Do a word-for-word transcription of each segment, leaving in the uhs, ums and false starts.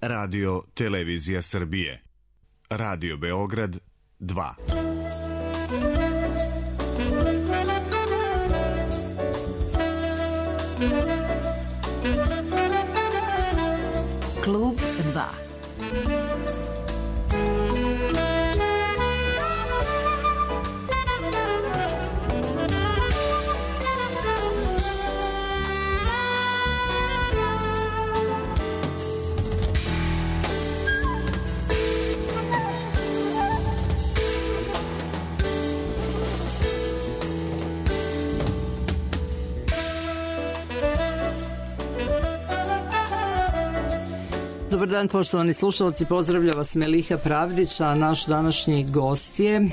Radio Televizija Srbije. Radio Beograd dva. Klub dva. Dobar dan, poštovani slušalci, pozdravlja vas Meliha Pravdić, a naš današnji gost je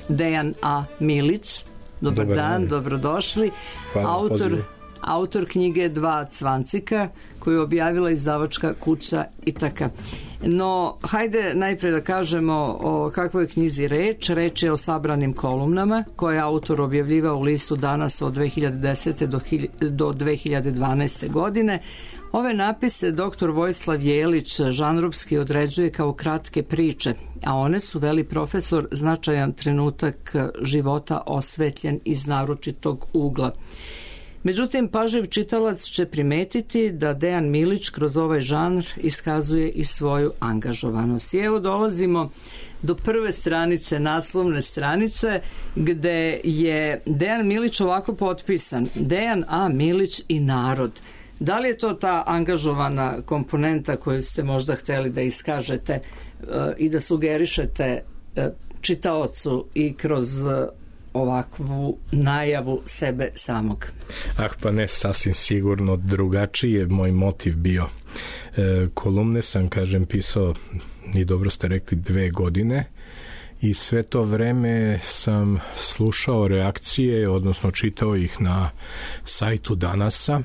Dejan A. Milić. Dobar, Dobar dan, dan, dobrodošli. Hvala, autor, autor knjige Dva cvancika, koju je objavila izdavačka kuća Itaka. No, hajde najpre da kažemo o kakvoj knjizi reč. Reč je o sabranim kolumnama koje je autor objavljivao u listu Danas od dve hiljade desete do dve hiljade dvanaeste. godine. Ove napise doktor Vojislav Jelić žanrovski određuje kao kratke priče, a one su, veli profesor, značajan trenutak života osvetljen iz naročitog ugla. Međutim, pažljiv čitalac će primetiti da Dejan Milić kroz ovaj žanr iskazuje i svoju angažovanost. I evo dolazimo do prve stranice, naslovne stranice, gde je Dejan Milić ovako potpisan: Dejan A. Milić i narod. Da li je to ta angažovana komponenta koju ste možda hteli da iskažete e, i da sugerišete e, čitaocu i kroz e, ovakvu najavu sebe samog? Ah, pa ne, sasvim sigurno drugačiji je moj motiv bio. E, kolumne sam, kažem, pisao, i dobro ste rekli, dve godine i sve to vreme sam slušao reakcije, odnosno čitao ih na sajtu Danasa.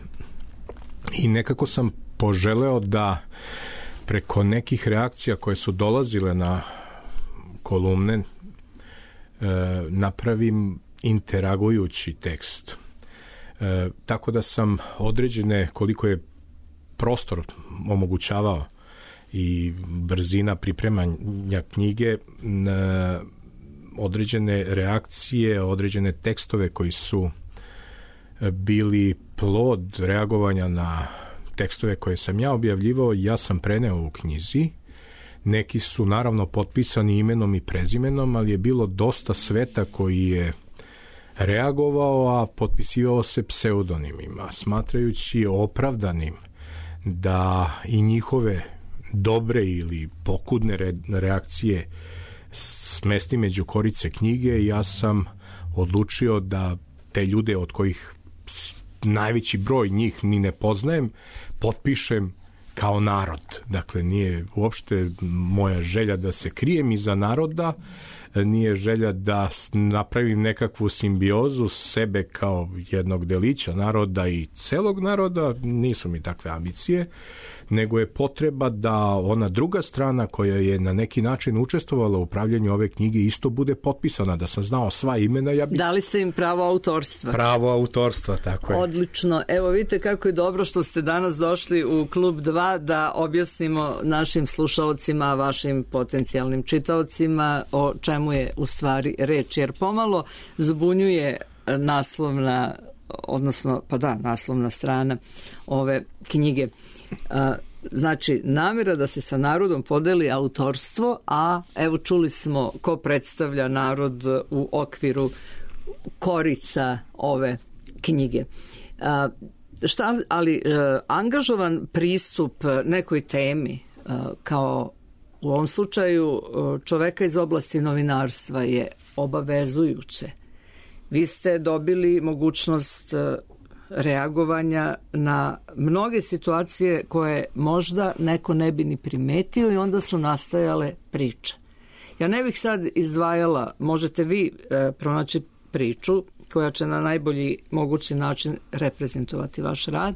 I nekako sam poželeo da preko nekih reakcija koje su dolazile na kolumne e, napravim interagujući tekst. E, tako da sam određene, koliko je prostor omogućavao i brzina pripremanja knjige, e, određene reakcije, određene tekstove koji su bili plod reagovanja na tekstove koje sam ja objavljivao, ja sam preneo u knjizi. Neki su naravno potpisani imenom i prezimenom, ali je bilo dosta sveta koji je reagovao, a potpisivao se pseudonimima, smatrajući opravdanim da i njihove dobre ili pokudne reakcije smesti među korice knjige. Ja sam odlučio da te ljude, od kojih najveći broj njih ni ne poznajem, potpišem kao narod. Dakle, nije uopšte moja želja da se krijem iza naroda, nije želja da napravim nekakvu simbiozu sebe kao jednog delića naroda i celog naroda, nisu mi takve ambicije, nego je potreba da ona druga strana koja je na neki način učestvovala u upravljanju ove knjige isto bude potpisana, da sam znao sva imena. Ja bi... Dali ste im pravo autorstva. Pravo autorstva, tako je. Odlično. Evo vidite kako je dobro što ste danas došli u Klub dva da objasnimo našim slušalcima, vašim potencijalnim čitaocima o čemu je u stvari reč, jer pomalo zbunjuje naslovna, odnosno, pa da, naslovna strana ove knjige. Znači, namjera da se sa narodom podeli autorstvo, a evo čuli smo ko predstavlja narod u okviru korica ove knjige. Šta, ali angažovan pristup nekoj temi, kao u ovom slučaju čoveka iz oblasti novinarstva, je obavezujuće. Vi ste dobili mogućnost reagovanja na mnoge situacije koje možda neko ne bi ni primetio i onda su nastajale priče. Ja ne bih sad izdvajala, možete vi e, pronaći priču koja će na najbolji mogući način reprezentovati vaš rad,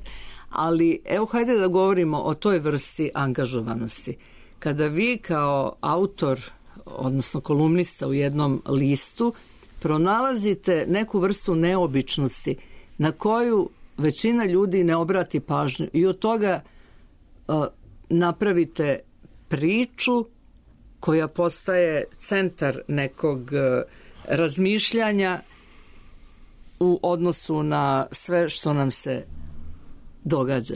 ali evo hajde da govorimo o toj vrsti angažovanosti. Kada vi kao autor, odnosno kolumnista u jednom listu, pronalazite neku vrstu neobičnosti na koju većina ljudi ne obrati pažnju i od toga uh, napravite priču koja postaje centar nekog razmišljanja u odnosu na sve što nam se događa?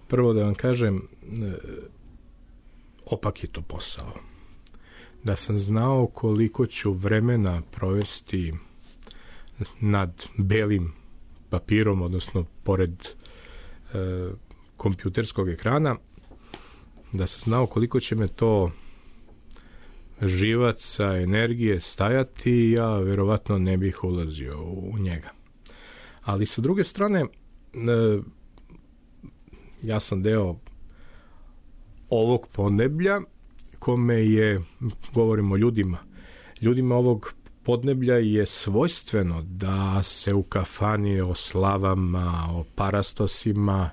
Prvo da vam kažem, opak je to posao. Da sam znao koliko ću vremena provesti nad belim papirom, odnosno pored e, kompjuterskog ekrana, da sam znao koliko će me to živaca, energije stajati, ja verovatno ne bih ulazio u njega. Ali sa druge strane, e, ja sam deo ovog podneblja kome je, govorimo o ljudima, ljudima ovog podneblja je svojstveno da se u kafani o slavama, o parastosima,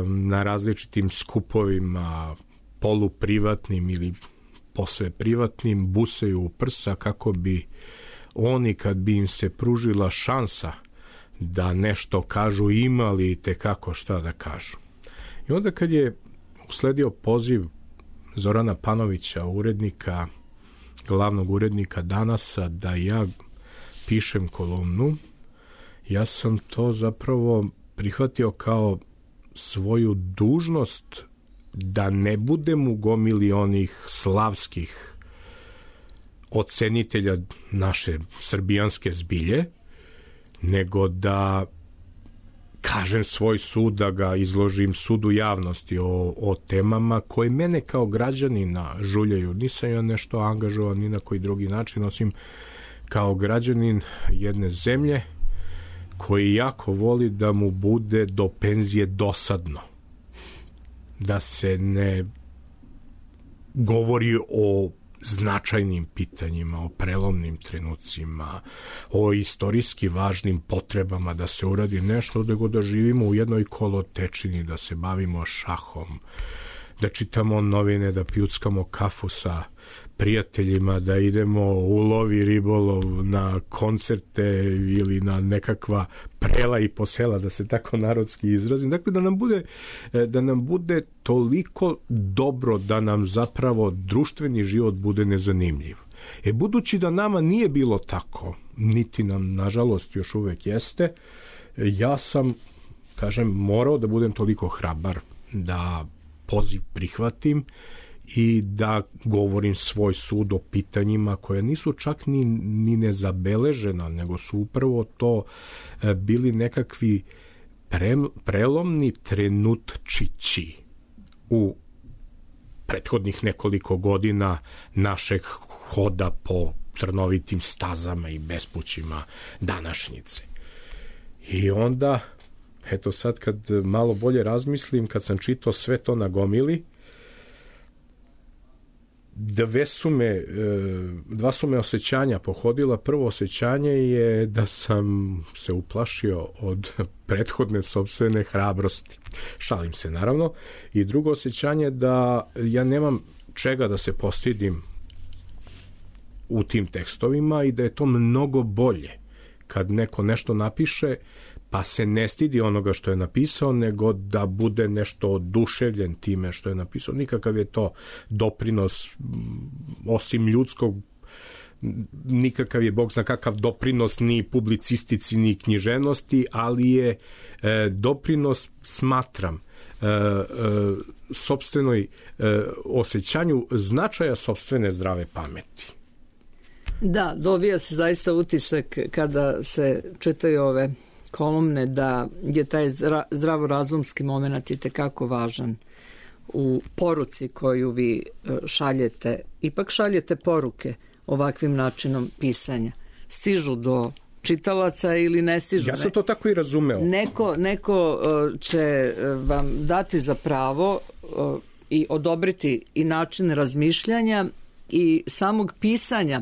na različitim skupovima, poluprivatnim ili posve privatnim, busaju u prsa kako bi oni, kad bi im se pružila šansa da nešto kažu, imali tekako šta da kažu. I onda kad je usledio poziv Zorana Panovića, urednika, glavnog urednika Danasa, da ja pišem kolumnu, ja sam to zapravo prihvatio kao svoju dužnost da ne budem u gomili onih slavskih ocenitelja naše srbijanske zbilje, nego da kažem svoj sud, da ga izložim sudu javnosti o, o temama koje mene kao građanina žuljaju. Nisam ja nešto angažovan ni na koji drugi način, osim kao građanin jedne zemlje koji jako voli da mu bude do penzije dosadno. Da se ne govori o značajnim pitanjima, o prelomnim trenucima, o istorijski važnim potrebama da se uradi nešto, nego da živimo u jednoj kolotečini, da se bavimo šahom, da čitamo novine, da pijuckamo kafu sa prijateljima, da idemo u lov i ribolov, na koncerte ili na nekakva prela i posela, da se tako narodski izrazim. Dakle, da nam bude, da nam bude toliko dobro da nam zapravo društveni život bude nezanimljiv. E, budući da nama nije bilo tako, niti nam, nažalost, još uvek jeste, ja sam, kažem, morao da budem toliko hrabar da poziv prihvatim i da govorim svoj sud o pitanjima koje nisu čak ni, ni nezabeležena, nego su upravo to e, bili nekakvi pre, prelomni trenutčići u prethodnih nekoliko godina našeg hoda po trnovitim stazama i bespućima današnjice. I onda, eto sad kad malo bolje razmislim, kad sam čitao sve to na gomili, Dve su me, dva su me osjećanja pohodila. Prvo osjećanje je da sam se uplašio od prethodne sopstvene hrabrosti. Šalim se, naravno. I drugo osjećanje da ja nemam čega da se postidim u tim tekstovima i da je to mnogo bolje kad neko nešto napiše pa se ne stidi onoga što je napisao, nego da bude nešto oduševljen time što je napisao. Nikakav je to doprinos, osim ljudskog, nikakav je, Bog zna kakav doprinos ni publicistici, ni književnosti, ali je e, doprinos, smatram, e, e, sopstvenoj e, osjećanju značaja sopstvene zdrave pameti. Da, dobija se zaista utisak kada se čitaju ove kolumne da je taj zdravorazumski moment i tekako važan u poruci koju vi šaljete. Ipak šaljete poruke ovakvim načinom pisanja. Stižu do čitalaca ili ne stižu? Ja sam to tako i razumeo. Neko, neko će vam dati za pravo i odobriti i način razmišljanja i samog pisanja.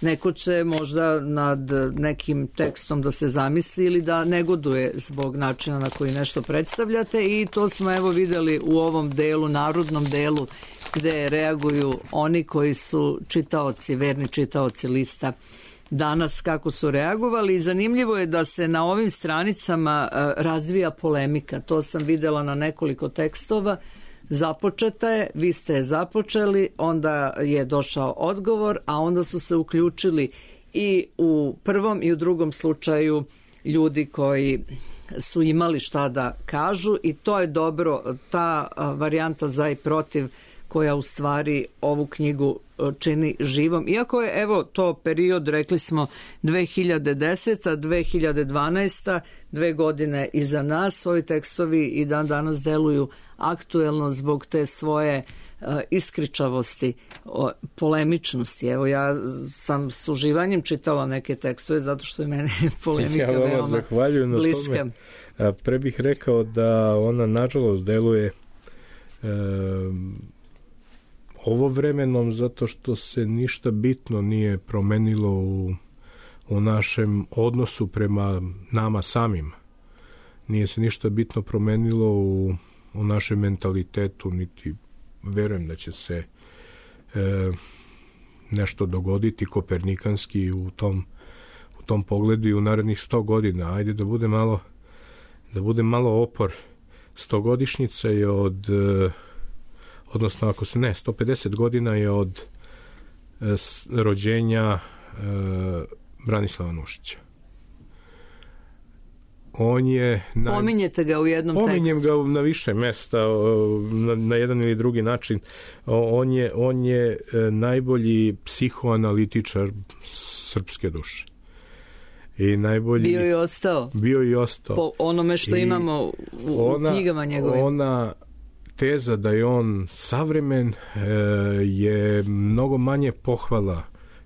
Neko će možda nad nekim tekstom da se zamisli ili da negoduje zbog načina na koji nešto predstavljate i to smo evo videli u ovom delu, narodnom delu, gde reaguju oni koji su čitaoci, verni čitaoci lista Danas, kako su reagovali. I zanimljivo je da se na ovim stranicama razvija polemika. To sam videla na nekoliko tekstova. započeta je, vi ste je započeli, onda je došao odgovor, a onda su se uključili i u prvom i u drugom slučaju ljudi koji su imali šta da kažu i to je dobro, ta varijanta za i protiv koja u stvari ovu knjigu čini živom. Iako je, evo, to period, rekli smo, dve hiljade deseta. dve hiljade dvanaesta. dve godine iza nas, ovi tekstovi i dan danas deluju aktuelno zbog te svoje uh, iskričavosti, o, polemičnosti. Evo, ja sam s uživanjem čitala neke tekstove zato što je mene polemika ja veoma zahvaljujem na bliska. Tome. A, pre bih rekao da ona nažalost deluje e, ovo vremenom zato što se ništa bitno nije promenilo u, u našem odnosu prema nama samima. Nije se ništa bitno promenilo u, u našem mentalitetu, niti verujem da će se e, nešto dogoditi kopernikanski u tom, u tom pogledu i u narednih sto godina. Ajde da bude malo, da bude malo opor. Stogodišnjica je od... E, odnosno ako se ne, sto pedeset godina je od e, rođenja e, Branislava Nušića. On je... Naj... Pominjete ga u jednom Pominjem tekstu. Pominjem ga na više mesta, na, na jedan ili drugi način. On je, on je najbolji psihoanalitičar srpske duše. I najbolji... Bio i ostao. Bio i ostao. Po onome što I imamo u, ona, u knjigama njegovim. Ona teza da je on savremen e, je mnogo manje pohvala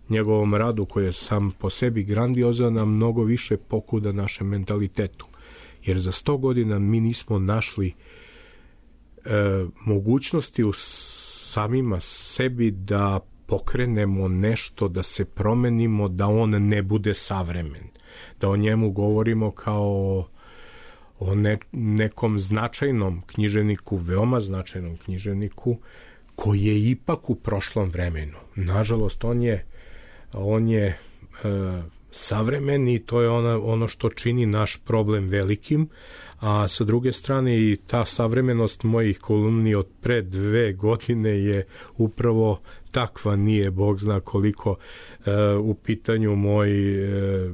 njegovom radu koji je sam po sebi grandiozan, a mnogo više pokuda našem mentalitetu. Jer za sto godina mi nismo našli e, mogućnosti u samima sebi da pokrenemo nešto, da se promenimo, da on ne bude savremen. Da o njemu govorimo kao o ne, nekom značajnom književniku, veoma značajnom književniku, koji je ipak u prošlom vremenu. Nažalost, on je, on je e, savremen i to je ona, ono što čini naš problem velikim, a sa druge strane i ta savremenost mojih kolumni od pre dve godine je upravo takva, nije Bog zna koliko e, u pitanju moj e,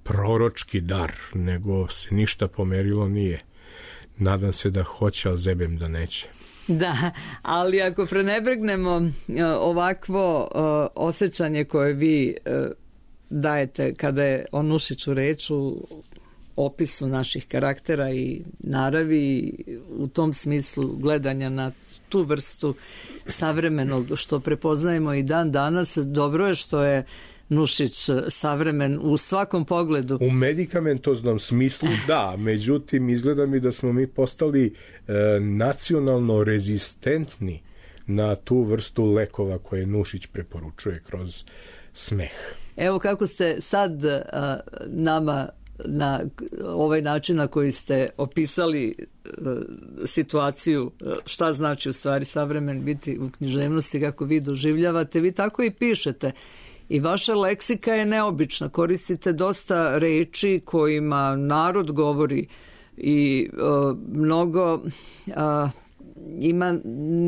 proročki dar, nego se ništa pomerilo nije. Nadam se da hoće, ali zebem da neće. Da, ali ako prenebregnemo ovakvo osjećanje koje vi dajete kada je o Nušiću reč u opisu naših karaktera i naravi, u tom smislu gledanja na tu vrstu savremenog što prepoznajemo i dan danas, dobro je što je Nušić savremen u svakom pogledu. U medikamentoznom smislu da, međutim izgleda mi da smo mi postali e, nacionalno rezistentni na tu vrstu lekova koje Nušić preporučuje kroz smeh. Evo kako ste sad a, nama na ovaj način na koji ste opisali a, situaciju, a, šta znači u stvari savremen biti u književnosti, kako vi doživljavate, vi tako i pišete. I vaša leksika je neobična, koristite dosta reči kojima narod govori i uh, mnogo uh, ima,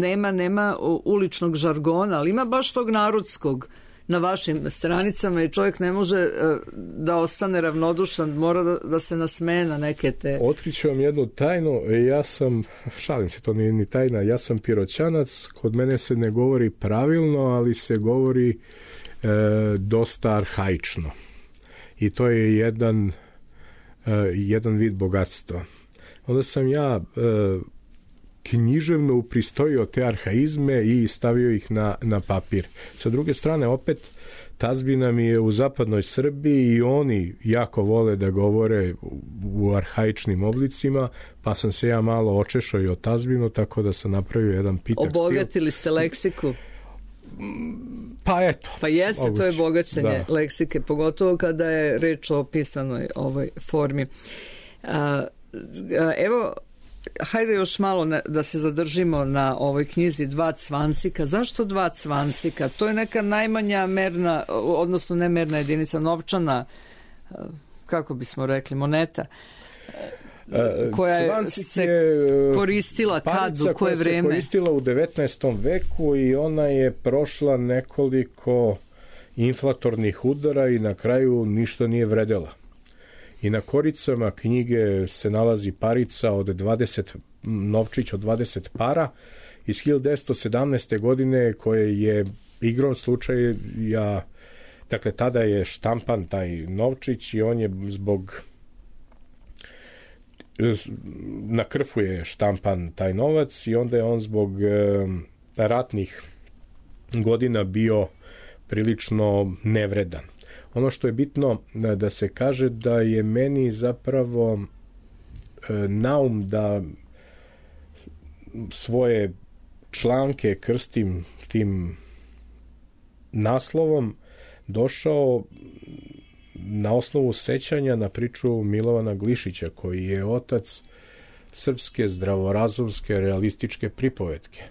nema, nema uličnog žargona, ali ima baš tog narodskog na vašim stranicama i čovjek ne može uh, da ostane ravnodušan, mora da, da se nasmeje na neke te... Otkriću vam jednu tajnu, ja sam, šalim se, to nije ni tajna, ja sam Piroćanac, kod mene se ne govori pravilno, ali se govori E, dosta arhaično i to je jedan e, jedan vid bogatstva. Onda sam ja e, književno upristojio te arhaizme i stavio ih na, na papir. Sa druge strane, opet tazbina mi je u zapadnoj Srbiji i oni jako vole da govore u, u arhaičnim oblicima, pa sam se ja malo očešao i o tazbinu, tako da sam napravio jedan pitak stil. Obogatili ste leksiku? Pa eto. Pa jeste, moguće. To je bogaćenje da. Leksike, pogotovo kada je reč o pisanoj ovoj formi. A, evo, hajde još malo na, da se zadržimo na ovoj knjizi Dva cvancika. Zašto dva cvancika? To je neka najmanja merna, odnosno ne merna jedinica, novčana, kako bismo rekli, moneta. koja je Cvancik se je koristila kad, u koje koja vreme? Se koristila u devetnaestom veku i ona je prošla nekoliko inflatornih udara i na kraju ništa nije vredela. I na koricama knjige se nalazi parica od dvadeset, novčić od dvadeset para iz hiljadu devetsto sedamnaeste. godine koje je igrom slučaja, dakle tada je štampan taj novčić i on je zbog na krfu je štampan taj novac i onda je on zbog e, ratnih godina bio prilično nevredan. Ono što je bitno da se kaže da je meni zapravo e, naum da svoje članke krstim tim naslovom došao na osnovu sećanja na priču Milovana Glišića, koji je otac srpske zdravorazumske realističke pripovetke.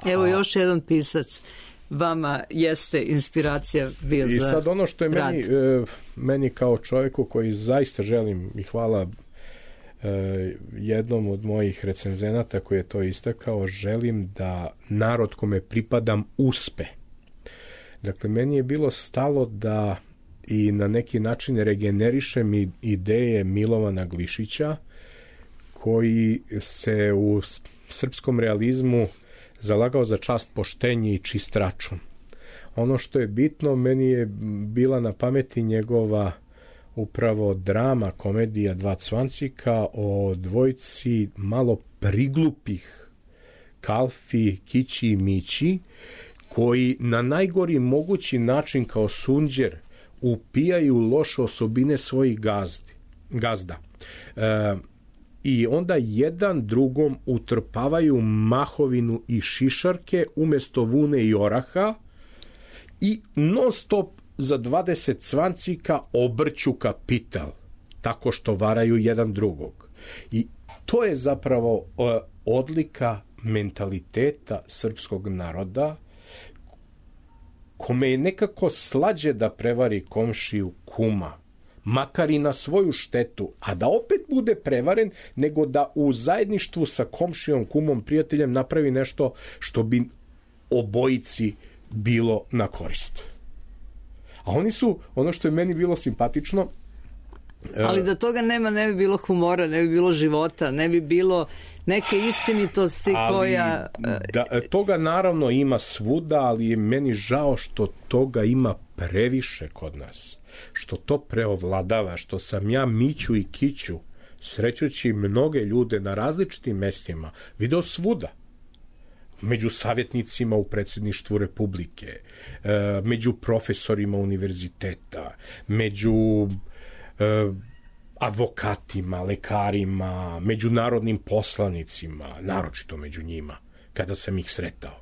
Evo A, još jedan pisac vama jeste inspiracija bio i za sad ono što je meni, e, meni kao čovjeku koji zaista želim i hvala e, jednom od mojih recenzenata koji je to istakao, želim da narod kome pripadam uspe. Dakle, meni je bilo stalo da i na neki način regenerišem ideje Milovana Glišića, koji se u srpskom realizmu zalagao za čast, poštenje i čist račun. Ono što je bitno, meni je bila na pameti njegova upravo drama, komedija Dva cvancika o dvojici malo priglupih Kalfi, Kići i Mići, koji na najgori mogući način kao sunđer upijaju loše osobine svojih gazdi, gazda. E, I onda jedan drugom utrpavaju mahovinu i šišarke umjesto vune i oraha i non stop za dvadeset cvancika obrću kapital tako što varaju jedan drugog. I to je zapravo e, odlika mentaliteta srpskog naroda, kome je nekako slađe da prevari komšiju kuma, makar i na svoju štetu, a da opet bude prevaren, nego da u zajedništvu sa komšijom, kumom, prijateljem napravi nešto što bi obojici bilo na korist. A oni su, ono što je meni bilo simpatično, ali da toga nema, ne bi bilo humora, ne bi bilo života, ne bi bilo neke istinitosti ali, koja... Da, toga naravno ima svuda, ali je meni žao što toga ima previše kod nas. Što to preovladava, što sam ja Miću i Kiću, srećući mnoge ljude na različitim mestima, video svuda. Među savjetnicima u predsjedništvu Republike, među profesorima univerziteta, među advokatima, lekarima, međunarodnim poslanicima, naročito među njima, kada sam ih sretao.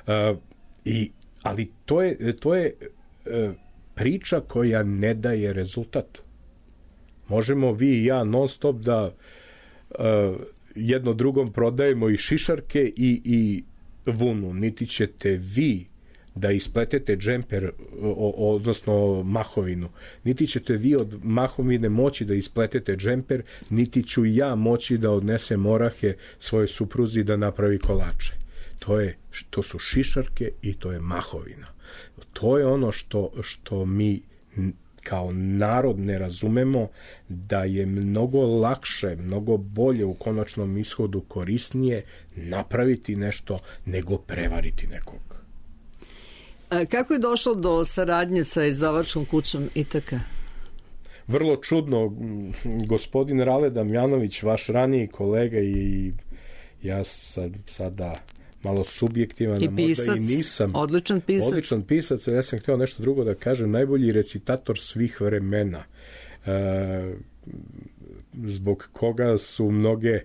Uh, i, ali to je, to je uh, priča koja ne daje rezultat. Možemo vi i ja non stop da uh, jedno drugom prodajemo i šišarke i, i vunu, niti ćete vi da ispletete džemper, odnosno mahovinu. Niti ćete vi od mahovine moći da ispletete džemper, niti ću ja moći da odnesem orahe svoje supruzi da napravi kolače. To je, to su šišarke i to je mahovina. To je ono što, što mi kao narod ne razumemo, da je mnogo lakše, mnogo bolje u konačnom ishodu korisnije napraviti nešto nego prevariti nekog. Kako je došlo do saradnje sa izdavačkom kućom Itaka? Vrlo čudno. Gospodin Rale Damjanović, vaš raniji kolega, i ja sam sada malo subjektivan, i pisac, možda i nisam. Odličan pisac. Odličan pisac, ja sam htio nešto drugo da kažem, najbolji recitator svih vremena, e, zbog koga su mnoge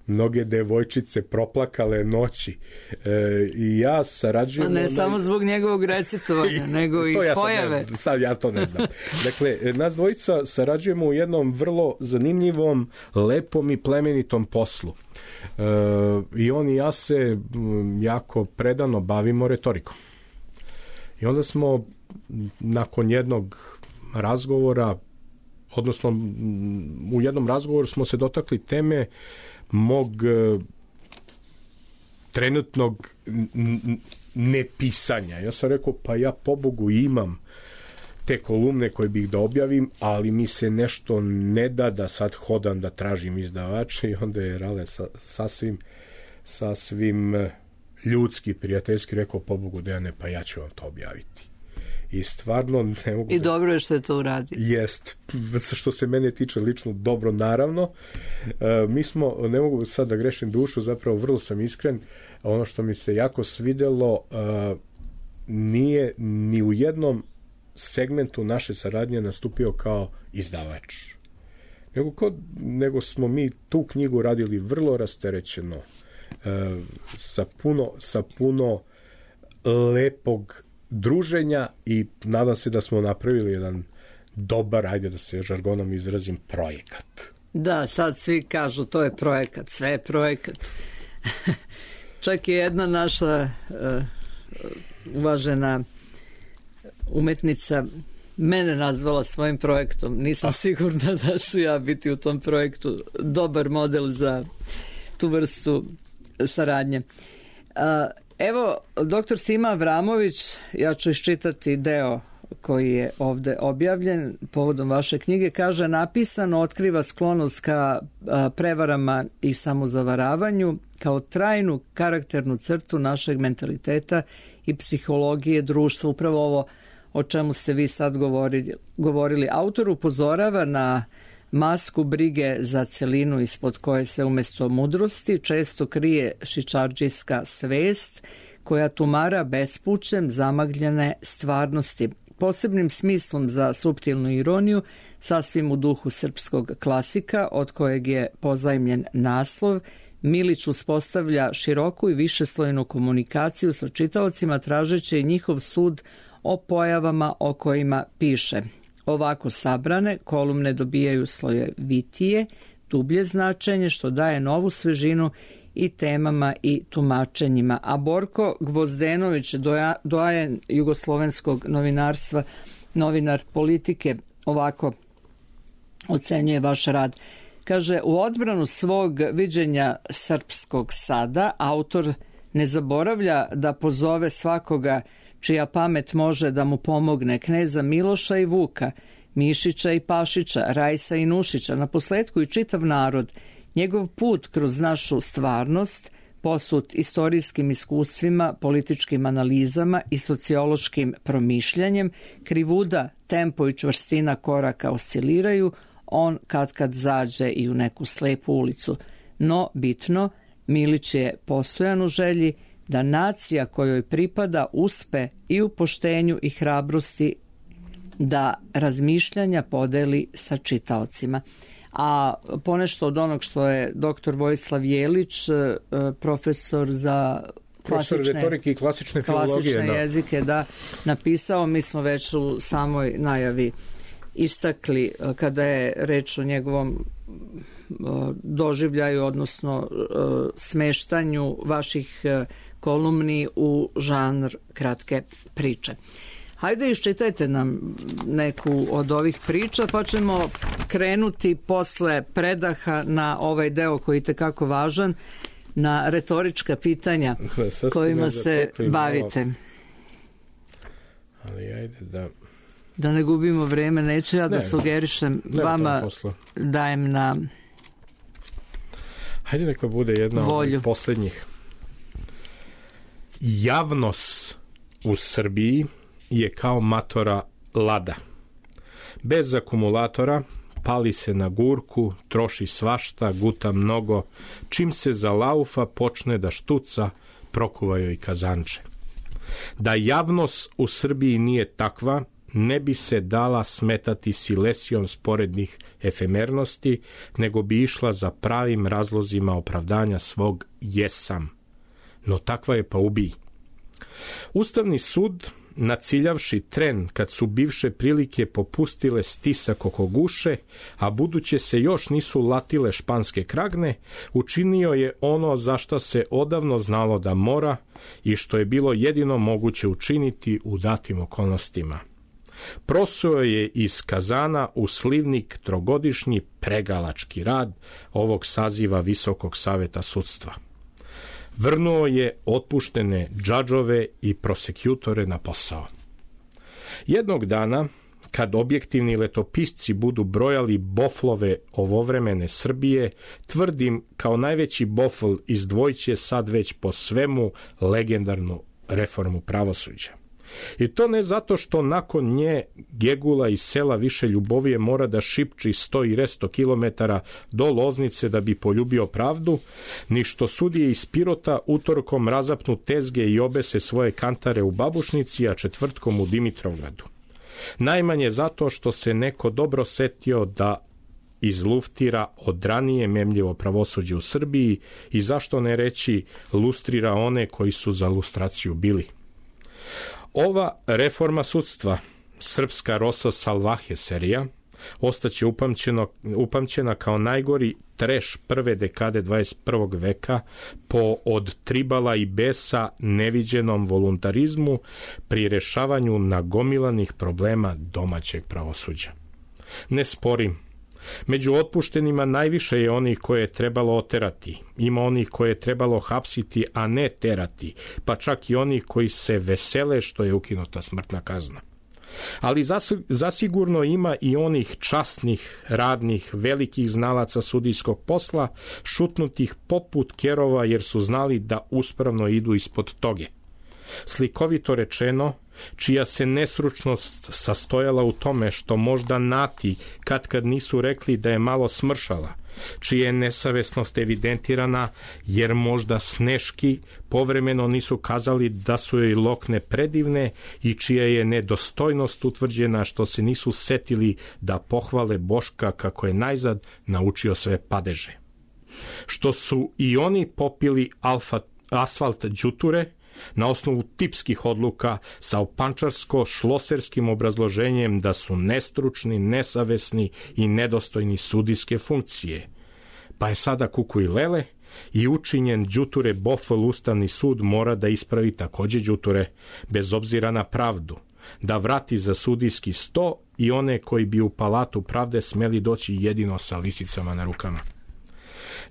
mnoge devojčice proplakale noći. E, I ja sarađujem... A ne onaj... samo zbog njegovog recitovanja, nego i ja pojave. Sad, sad ja to ne znam. Dakle, nas dvojica sarađujemo u jednom vrlo zanimljivom, lepom i plemenitom poslu. E, I on i ja se jako predano bavimo retorikom. I onda smo nakon jednog razgovora odnosno u jednom razgovoru smo se dotakli teme mog e, trenutnog nepisanja. Ja sam rekao, pa ja pobogu imam te kolumne koje bih da objavim, ali mi se nešto ne da da sad hodam da tražim izdavače, i onda je Rale sa, sasvim sasvim ljudski, prijateljski rekao, pobogu Dejane, pa ja ću vam to objaviti. I stvarno ne mogu... I da... dobro je što je to uradio. Jest. Što se mene tiče lično, dobro, naravno. E, mi smo, ne mogu sad da grešim dušu, zapravo vrlo sam iskren, ono što mi se jako svidelo, e, nije ni u jednom segmentu naše saradnje nastupio kao izdavač. Nego, kod, nego smo mi tu knjigu radili vrlo rasterećeno, e, sa puno, sa puno lepog druženja, i nadam se da smo napravili jedan dobar, ajde da se žargonom izrazim, projekat. Da, sad svi kažu to je projekat, sve je projekat. Čak je jedna naša uh, uvažena umetnica mene nazvala svojim projektom. Nisam sigurna da ću ja biti u tom projektu dobar model za tu vrstu saradnje. Uh, Evo, doktor Sima Avramović, ja ću iščitati deo koji je ovde objavljen povodom vaše knjige, kaže: napisano otkriva sklonost ka prevarama i samozavaravanju kao trajnu karakternu crtu našeg mentaliteta i psihologije društva. Upravo ovo o čemu ste vi sad govorili. govorili. Autor upozorava na masku brige za celinu ispod koje se umjesto mudrosti često krije šičardžijska svest koja tumara bespućem zamagljene stvarnosti. Posebnim smislom za suptilnu ironiju, sasvim u duhu srpskog klasika od kojeg je pozajmljen naslov, Milić uspostavlja široku i višeslojnu komunikaciju sa čitaocima tražeći njihov sud o pojavama o kojima piše. Ovako sabrane, kolumne dobijaju slojevitije, dublje značenje, što daje novu svežinu i temama i tumačenjima. A Borko Gvozdenović, doja, doajen jugoslovenskog novinarstva, novinar politike, ovako ocenjuje vaš rad. Kaže, u odbranu svog viđenja srpskog sada, autor ne zaboravlja da pozove svakoga čija pamet može da mu pomogne, kneza Miloša i Vuka, Mišića i Pašića, Rajsa i Nušića, naposletku i čitav narod. Njegov put kroz našu stvarnost, posut istorijskim iskustvima, političkim analizama i sociološkim promišljanjem, krivuda, tempo i čvrstina koraka osciliraju, on kad kad zađe i u neku slepu ulicu. No, bitno, Milić je postojan u želji da nacija kojoj pripada uspe i u poštenju i hrabrosti da razmišljanja podeli sa čitaocima. A ponešto od onog što je doktor Vojislav Jelić, profesor za klasične, retorike i klasične filologije, klasične da. jezike, da, napisao, mi smo već u samoj najavi istakli kada je reč o njegovom doživljaju, odnosno smeštanju vaših kolumni u žanr kratke priče. Hajde iščitajte nam neku od ovih priča, pa ćemo krenuti posle predaha na ovaj deo koji je tekako važan, na retorička pitanja kojima se bavite. Ali ajde da... Da ne gubimo vreme, neću ja da ne, sugerišem ne, vama, dajem na hajde neka bude jedna volju. Od posljednjih. Javnost u Srbiji je kao matora lada. Bez akumulatora, pali se na gurku, troši svašta, guta mnogo, čim se za laufa počne da štuca, prokuvaju i kazanče. Da javnost u Srbiji nije takva, ne bi se dala smetati silesijom sporednih efemernosti, nego bi išla za pravim razlozima opravdanja svog jesam. No takva je pa ubij. Ustavni sud, naciljavši tren kad su bivše prilike popustile stisak oko guše, a buduće se još nisu latile španske kragne, učinio je ono za što se odavno znalo da mora i što je bilo jedino moguće učiniti u datim okolnostima. Prosuo je iz kazana u slivnik trogodišnji pregalački rad ovog saziva Visokog saveta sudstva. Vrnuo je otpuštene džadžove i prosekutore na posao. Jednog dana, kad objektivni letopisci budu brojali boflove ovovremene Srbije, tvrdim kao najveći bofl izdvojiće sad već po svemu legendarnu reformu pravosuđa. I to ne zato što nakon nje Gegula iz sela Više Ljubovije mora da šipči sto i resto kilometara do Loznice da bi poljubio pravdu, ni što sudije iz Pirota utorkom razapnu tezge i obese svoje kantare u Babušnici, a četvrtkom u Dimitrovgradu. Najmanje zato što se neko dobro setio da izluftira od ranije memljivo pravosuđe u Srbiji i zašto ne reći lustrira one koji su za lustraciju bili. Ova reforma sudstva, srpska Rosa Salvaje serija, ostaće upamćeno, upamćena kao najgori treš prve dekade dvadeset prvog veka po od tribala i besa neviđenom voluntarizmu pri rešavanju nagomilanih problema domaćeg pravosuđa. Ne sporim, među otpuštenima najviše je onih koje je trebalo oterati, ima onih koje je trebalo hapsiti, a ne terati, pa čak i onih koji se vesele što je ukinuta smrtna kazna. Ali zasigurno ima i onih časnih, radnih, velikih znalaca sudijskog posla, šutnutih poput kerova jer su znali da uspravno idu ispod toge. Slikovito rečeno, čija se nesručnost sastojala u tome što možda nati kad kad nisu rekli da je malo smršala, čija je nesavesnost evidentirana jer možda sneški povremeno nisu kazali da su joj lokne predivne i čija je nedostojnost utvrđena što se nisu setili da pohvale Boška kako je najzad naučio sve padeže. Što su i oni popili alfa, asfalt đuture, na osnovu tipskih odluka sa opančarsko-šloserskim obrazloženjem da su nestručni, nesavesni i nedostojni sudijske funkcije. Pa je sada kuku i lele i učinjen đuture bofl Ustavni sud mora da ispravi takođe đuture, bez obzira na pravdu, da vrati za sudijski sto i one koji bi u palatu pravde smeli doći jedino sa lisicama na rukama.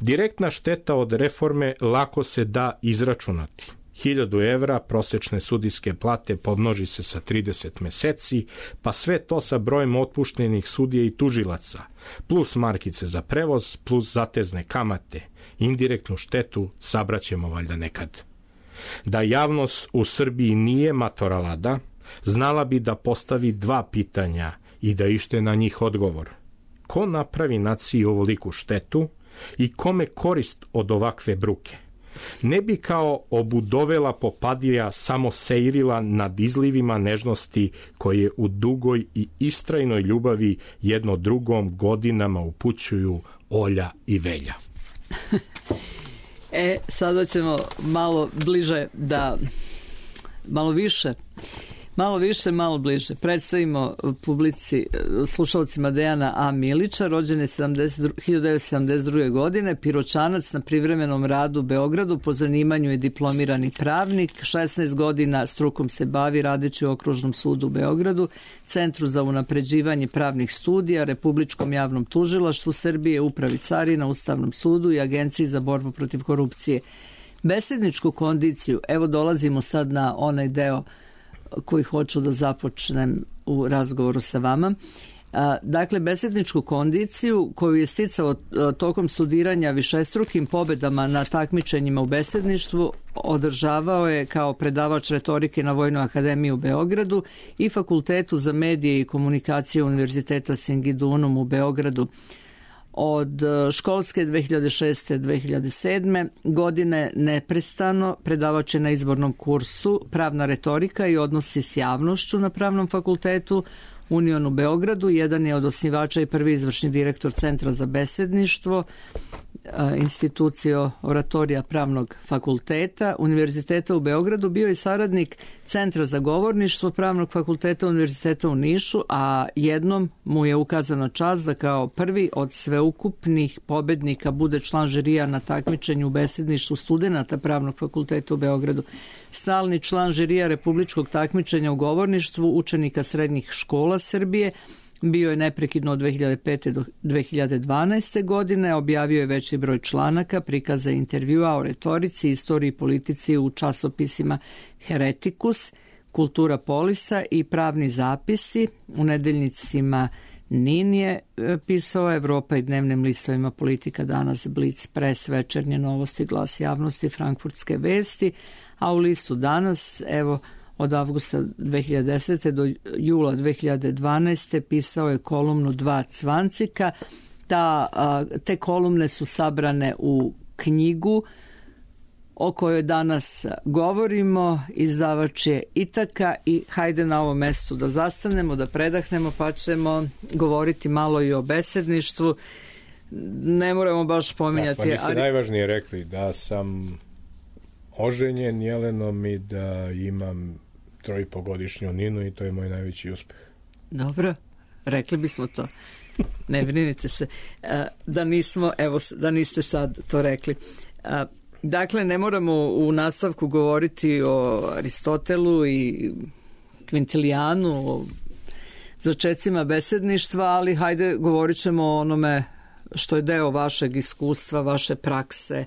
Direktna šteta od reforme lako se da izračunati. Hiljadu evra prosečne sudijske plate pomnoži se sa trideset meseci, pa sve to sa brojem otpuštenih sudija i tužilaca, plus markice za prevoz, plus zatezne kamate. Indirektnu štetu sabraćemo valjda nekad. Da javnost u Srbiji nije matoralada, znala bi da postavi dva pitanja i da ište na njih odgovor. Ko napravi naciji ovoliku štetu i kome korist od ovakve bruke? Ne bi kao obudovela popadija samo seirila nad izlivima nežnosti koje u dugoj i istrajnoj ljubavi jedno drugom godinama upućuju Olja i Velja. E, sada ćemo malo bliže da, malo više, malo više, malo bliže. Predstavimo publici, slušalcima Dejana A. Milića, rođen je hiljadu devetsto sedamdeset druge. godine, Piroćanac, na privremenom radu u Beogradu, po zanimanju je diplomirani pravnik, šesnaest godina strukom se bavi radeći u Okružnom sudu u Beogradu, Centru za unapređivanje pravnih studija, Republičkom javnom tužilaštvu Srbije, Upravi carina, Ustavnom sudu i Agenciji za borbu protiv korupcije. Besedničku kondiciju, evo dolazimo sad na onaj deo koji hoću da započnem u razgovoru sa vama. Dakle, besedničku kondiciju koju je sticao tokom studiranja višestrukim pobedama na takmičenjima u besedništvu održavao je kao predavač retorike na Vojnoj akademiji u Beogradu i Fakultetu za medije i komunikacije Univerziteta Singidunum u Beogradu. Od školske dve hiljade šeste do dve hiljade sedme. godine neprestano predavač je na izbornom kursu Pravna retorika i odnosi s javnošću na Pravnom fakultetu Union u Beogradu. Jedan je od osnivača i prvi izvršni direktor Centra za besedništvo, institucija oratorija Pravnog fakulteta Univerziteta u Beogradu. Bio je saradnik Centra za govorništvo Pravnog fakulteta Univerziteta u Nišu, a jednom mu je ukazana čast da kao prvi od sveukupnih pobednika bude član žirija na takmičenju u besedništvu studenata Pravnog fakulteta u Beogradu. stalni član žirija republičkog takmičenja u govorništvu učenika srednjih škola Srbije. Bio je neprekidno od dve hiljade pete do dve hiljade dvanaeste. godine, objavio je veći broj članaka, prikaza i intervjua o retorici, istoriji i politici u časopisima Heretikus, Kultura Polisa i Pravni zapisi. U nedeljnicima Nin je pisao, Evropa i dnevnim listovima Politika, Danas, Blic, Pres, Večernje novosti, Glas javnosti, Frankfurtske vesti, a u listu Danas, evo, od avgusta dve hiljade desete. do jula dve hiljade dvanaeste. pisao je kolumnu Dva cvancika. Ta, te kolumne su sabrane u knjigu o kojoj danas govorimo. Izdavač je Itaka i hajde na ovom mestu da zastanemo, da predahnemo, pa ćemo govoriti malo i o besedništvu. Ne moramo baš pominjati. Da, pa niste ali... najvažnije rekli da sam oženjen Jelenom i da imam trojpogodišnju Ninu i to je moj najveći uspeh. Dobro, rekli bismo to. Ne brinite se. Da nismo, evo, da niste sad to rekli. Dakle, ne moramo u nastavku govoriti o Aristotelu i Quintilianu, o začecima besedništva, ali hajde govorit ćemo o onome što je deo vašeg iskustva, vaše prakse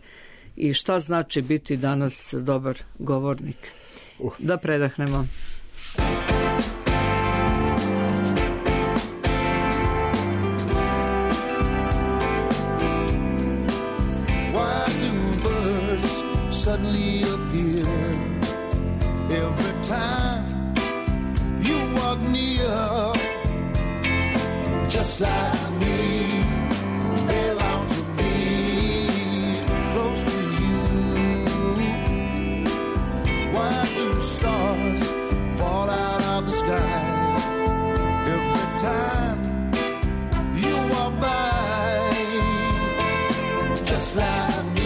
i šta znači biti danas dobar govornik. Uh. Da predahnemo. Suddenly appear every time you walk near, just like me, they long to be close to you. Why do stars fall out of the sky every time you walk by, just like me?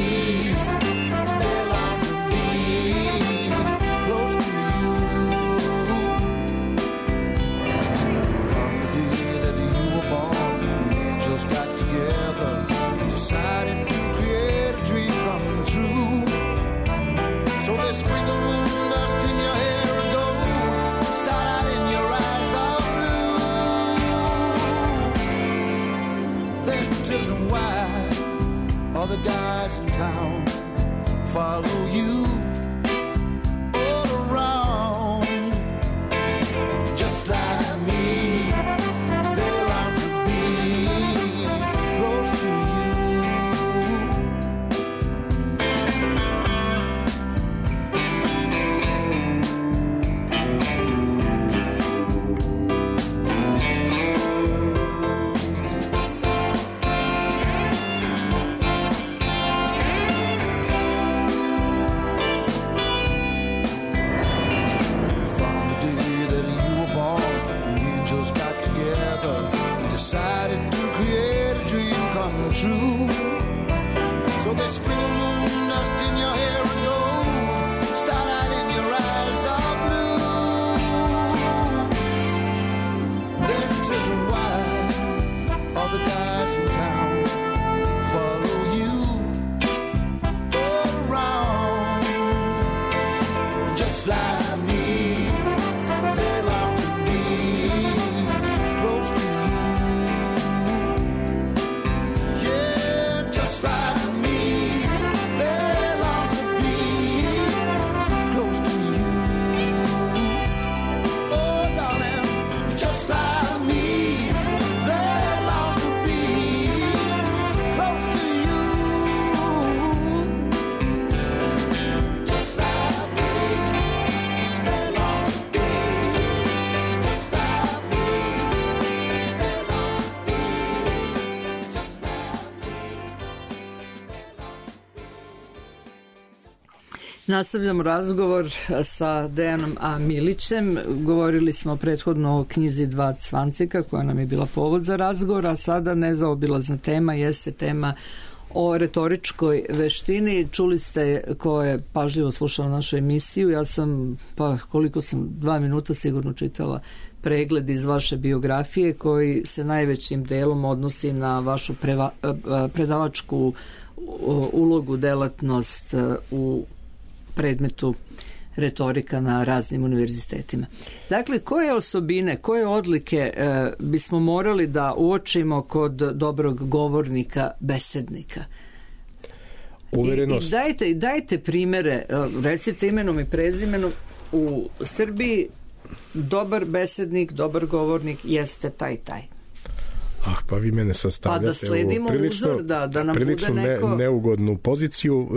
Decided to create a dream come true. So they sprinkle moon dust in your hair and gold, start out in your eyes all blue. That isn't why all the guys in town follow you all around, just like me. They long to be close to you. Decided to create a dream come true. So they sprinkle moon dust in your hair and gold, starlight in your eyes are blue. That isn't why all the guys in town follow you all around, just like me. They long to be close to you. Just like me, they long to be close to you. Oh, darling, just like me, they long to be close to you. Just like me, they long to be. Just like me, they long to be. Just like Nastavljamo razgovor sa Dejanom A. Milićem. Govorili smo prethodno o knjizi Dva cvancika koja nam je bila povod za razgovor, a sada nezaobilazna tema jeste tema o retoričkoj veštini. Čuli ste ko je pažljivo slušao našu emisiju. Ja sam, pa koliko sam, dva minuta sigurno čitala pregled iz vaše biografije koji se najvećim delom odnosi na vašu preva, predavačku ulogu, delatnost u predmetu retorika na raznim univerzitetima. Dakle, koje osobine, koje odlike e, bismo morali da uočimo kod dobrog govornika, besednika? Uverenost. I, i dajte, dajte primere, recite imenom i prezimenom. U Srbiji dobar besednik, dobar govornik jeste taj taj. Ah, pa vi mene sastavljate pa da sledimo prilično, uzor, da, da nam prilično bude neko... ne, neugodnu poziciju,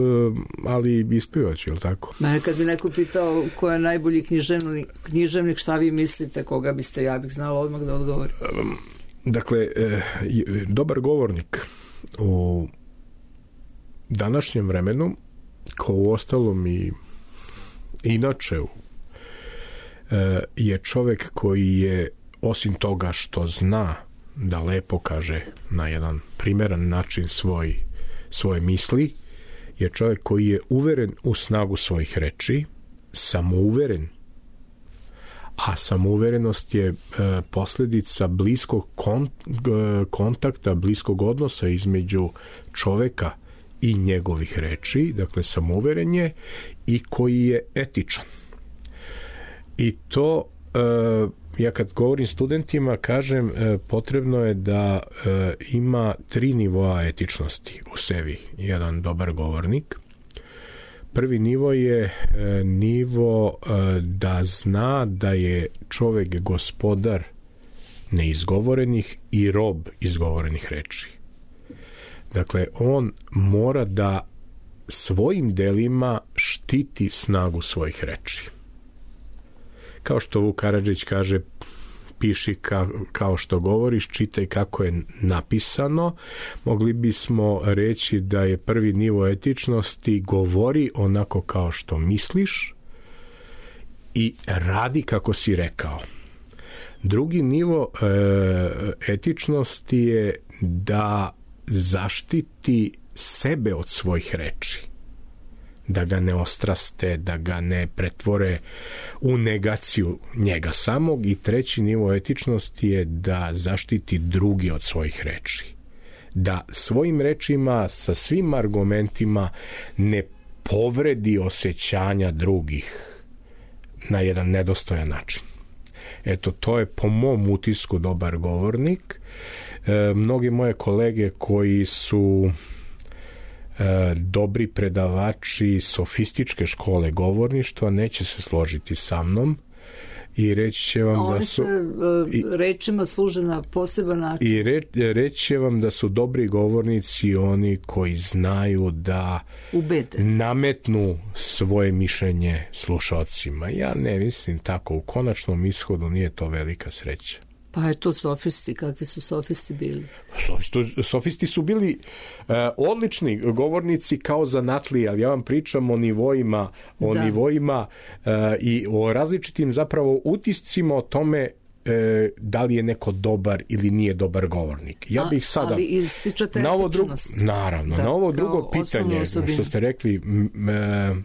ali ispivač, je li tako? Mene kad bi neko pitao ko je najbolji književnik, književnik, šta vi mislite, koga biste, ja bih znala odmah da odgovorim. Dakle, dobar govornik u današnjem vremenu, kao u ostalom i inače, je čovek koji je, osim toga što zna da lepo kaže na jedan primeran način svoj, svoje misli, je čovjek koji je uveren u snagu svojih reči, samouveren, a samouverenost je e, posljedica bliskog kont, kontakta, bliskog odnosa između čoveka i njegovih reči, dakle samouveren je i koji je etičan. I to e, ja kad govorim studentima kažem e, potrebno je da e, ima tri nivoa etičnosti u sebi jedan dobar govornik. Prvi nivo je e, nivo e, da zna da je čovjek gospodar neizgovorenih i rob izgovorenih reči. Dakle, on mora da svojim delima štiti snagu svojih reči. Kao što Vuk Karadžić kaže, piši ka, kao što govoriš, čitaj kako je napisano. Mogli bismo reći da je prvi nivo etičnosti govori onako kao što misliš i radi kako si rekao. Drugi nivo e, etičnosti je da zaštiti sebe od svojih reči, da ga ne ostraste, da ga ne pretvore u negaciju njega samog. I treći nivo etičnosti je da zaštiti drugi od svojih reči, da svojim rečima sa svim argumentima ne povredi osjećanja drugih na jedan nedostojan način. Eto, to je po mom utisku dobar govornik. E, mnogi moje kolege koji su e, dobri predavači sofističke škole govorništva neće se složiti sa mnom i reći će vam Oni da su... se e, rečima služe na poseban način. I re, reći će vam da su dobri govornici oni koji znaju da ubede, nametnu svoje mišljenje slušalcima. Ja ne mislim tako. U konačnom ishodu nije to velika sreća. Pa je to sofisti, kakvi su sofisti bili? Sofisti, sofisti su bili uh, odlični govornici kao zanatlije, ali ja vam pričam o nivoima, o da. nivoima uh, i o različitim zapravo utiscima o tome uh, da li je neko dobar ili nije dobar govornik. Ja bih sada... Ali ističate na ovo drugo, etičnost. Naravno, da, na ovo drugo pitanje što ste rekli... M, m,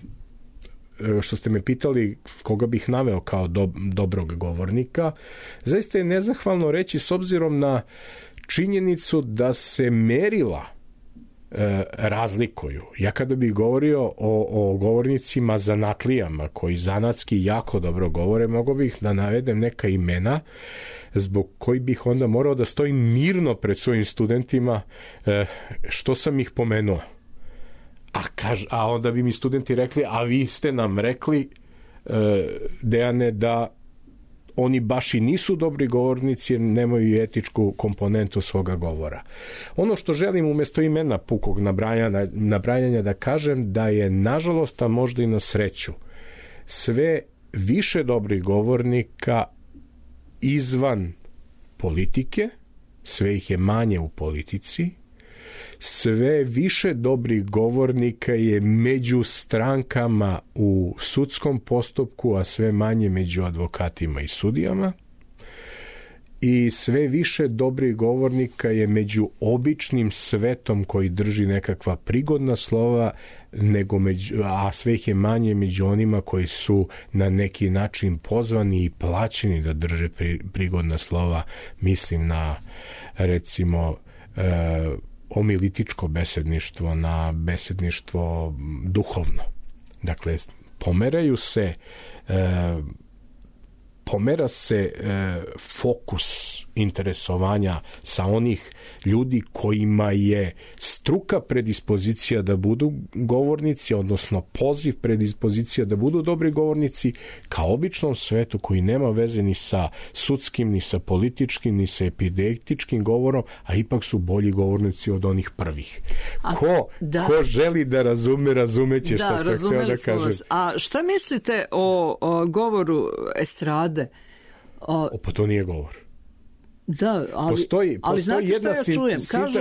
što ste me pitali koga bih naveo kao do, dobrog govornika, zaista je nezahvalno reći s obzirom na činjenicu da se merila e, razlikuju. Ja kada bih govorio o, o govornicima zanatlijama koji zanatski jako dobro govore, mogao bih da navedem neka imena zbog koji bih onda morao da stojim mirno pred svojim studentima e, što sam ih pomenuo. A, kaž, a onda bi mi studenti rekli, a vi ste nam rekli, e, Dejane, da oni baš i nisu dobri govornici jer nemaju etičku komponentu svoga govora. Ono što želim umjesto imena pukog nabrajanja, nabrajanja da kažem da je nažalost, a možda i na sreću, sve više dobrih govornika izvan politike, sve ih je manje u politici, sve više dobrih govornika je među strankama u sudskom postupku, a sve manje među advokatima i sudijama. I sve više dobrih govornika je među običnim svetom koji drži nekakva prigodna slova, nego među, a sve ih je manje među onima koji su na neki način pozvani i plaćeni da drže pri, prigodna slova. Mislim na, recimo, e, omilitičko besedništvo, na besedništvo duhovno. Dakle, pomeraju se e, pomera se e, fokus interesovanja sa onih ljudi kojima je struka predispozicija da budu govornici, odnosno poziv predispozicija da budu dobri govornici, ka običnom svetu koji nema veze ni sa sudskim, ni sa političkim, ni sa epidetičkim govorom, a ipak su bolji govornici od onih prvih. A, ko, da. ko želi da razume, razumeće da, što sam htio da kažem. Vas. A šta mislite o, o govoru estrade? O, o, pa to nije govor. Da, ali, postoji, ali postoji znate jedna šta ja čujem? Sinta... Kažu,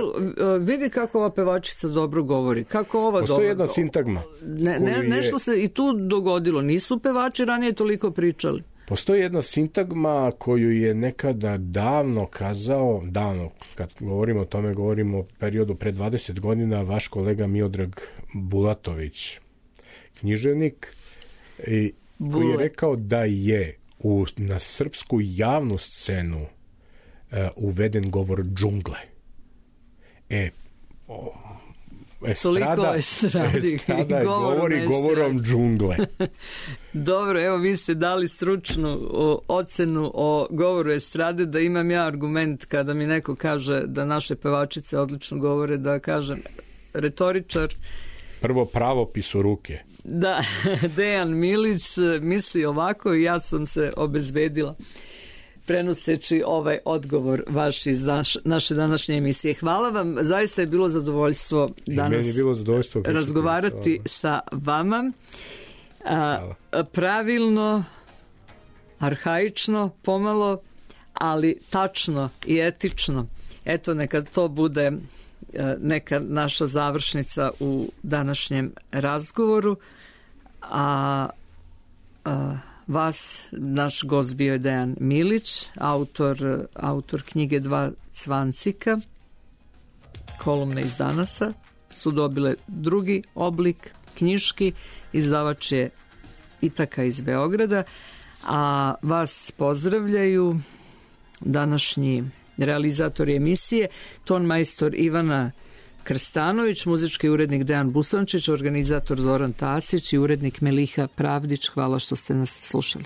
vidi kako ova pevačica dobro govori. Kako ova postoji dobro... jedna sintagma. Ne, ne, nešto je... se i tu dogodilo. Nisu pevači ranije toliko pričali. Postoji jedna sintagma koju je nekada davno kazao, davno, kad govorimo o tome, govorimo o periodu pre dvadeset godina, vaš kolega Miodrag Bulatović, književnik, i koji je rekao da je u, na srpsku javnu scenu uh, uveden govor džungle. E, o, estrada, estradi, estrada govorom govori estradi. govorom džungle. Dobro, evo vi ste dali stručnu o, ocenu o govoru estrade, da imam ja argument kada mi neko kaže da naše pevačice odlično govore, da kažem retoričar. Prvo pravopis u ruke. Da, Dejan Milić misli ovako i ja sam se obezbedila prenoseći ovaj odgovor vaš iz naš, naše današnje emisije. Hvala vam, zaista je bilo zadovoljstvo danas je bilo zadovoljstvo razgovarati sa vama. A, pravilno, arhaično, pomalo, ali tačno i etično. Eto, neka to bude neka naša završnica u današnjem razgovoru. A, a vas, naš gost bio je Dejan Milić, autor, autor knjige Dva cvancika, kolumne iz Danasa, su dobile drugi oblik knjiški, izdavač je Itaka iz Beograda, a vas pozdravljaju današnji realizatori emisije, tonmajstor Ivana Krstanović, muzički urednik Dejan Busančić, organizator Zoran Tasić i urednik Meliha Pravdić. Hvala što ste nas slušali.